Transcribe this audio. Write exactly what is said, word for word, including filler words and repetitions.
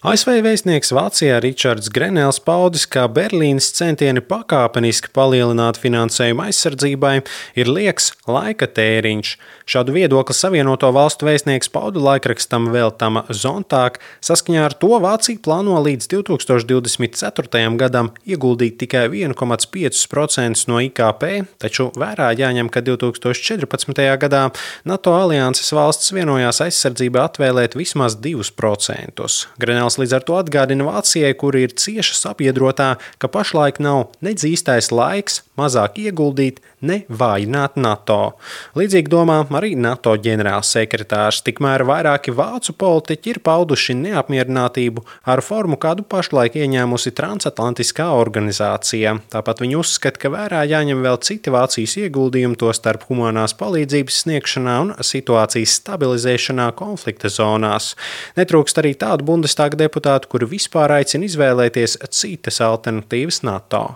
A S V vēstnieks Vācijā Ričards Grenels paudis, ka Berlīnes centieni pakāpeniski palielināt finansējumu aizsardzībai ir lieks laika tēriņš. Šādu viedokli Savienoto Valstu vēstnieks pauda laikrakstam Veltama Zontāk. Saskaņā ar to Vācija plāno līdz divtūkstoš divdesmit ceturtajam gadam ieguldīt tikai viens komats pieci procenti no I K P, taču vērā jāņem, ka divtūkstoš četrpadsmitajā gadā NATO alianses valsts vienojās aizsardzībai atvēlēt vismaz divus procentus. Grenels līdz ar to atgādina Vācijai, kura ir cieša sabiedrotā, ka pašlaik nav nedz īstais laiks mazāk ieguldīt, ne vājināt NATO. Līdzīgi domā arī NATO ģenerālsekretārs, tikmēr vairāki vācu politiķi ir pauduši neapmierinātību ar formu, kādu pašlaik ieņēmusi transatlantiskā organizācija. Tāpat viņi uzskata, ka vērā jāņem vēl citi Vācijas ieguldījumi, tostarp humanās palīdzības sniegšanā un situācijas stabilizēšanā konflikta zonās. Netrūkst arī tādu Bundestāga deputātu, kuri vispār aicina izvēlēties citas alternatīvas NATO.